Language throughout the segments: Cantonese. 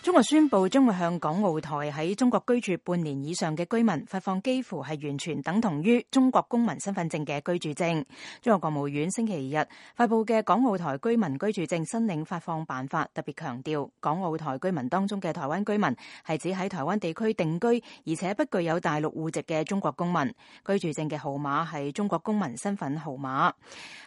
中國宣布將會向港澳台喺中國居住半年以上嘅居民發放幾乎係完全等同於中國公民身份證嘅居住證。中國國務院星期日發布嘅港澳台居民居住證申領發放辦法特別強調，港澳台居民當中嘅台灣居民係指喺台灣地區定居而且不具有大陸戶籍嘅中國公民。居住證嘅號碼係中國公民身份號碼。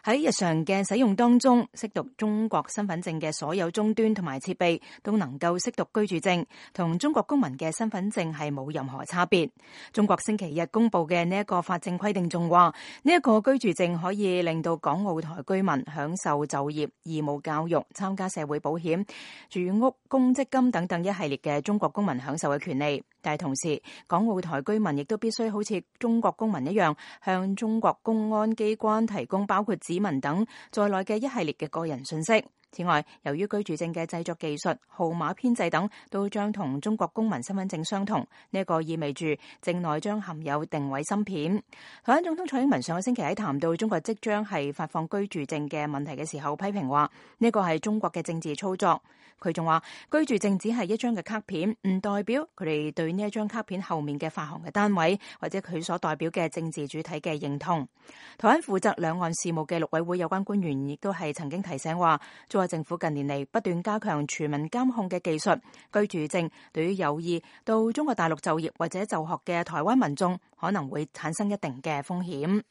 喺日常嘅使用當中，識讀中國身份證嘅所有終端同埋設備都能夠識讀居住證，同中國公民嘅身份證係冇任何差別。中國星期日公布嘅呢一個法政規定仲話，呢一個居住證可以令到港澳台居民享受就業、義務教育、參加社會保險、住屋、公積金等等一系列嘅中國公民享受嘅權利。但係同時，港澳台居民亦都必須好似中國公民一樣，向中國公安機關提供包括指紋等在內嘅一系列嘅個人信息。此外，由於居住證嘅製作技術、號碼編製等都將同中國公民身份證相同，呢一個意味住證內將含有定位芯片。台灣總統蔡英文上個星期喺談到中國即將係發放居住證嘅問題嘅時候，批評話呢個係中國嘅政治操作。佢仲話居住證只係一張嘅卡片，唔代表佢哋對呢一張卡片後面嘅發行嘅單位或者佢所代表嘅政治主體嘅認同。台灣負責兩岸事務嘅陸委會有關官員亦都係曾經提醒話，中國政府近年嚟不斷加強全民監控嘅技術，居住證對於有意到中國大陸就業或者就學嘅台灣民眾可能會產生一定嘅風險。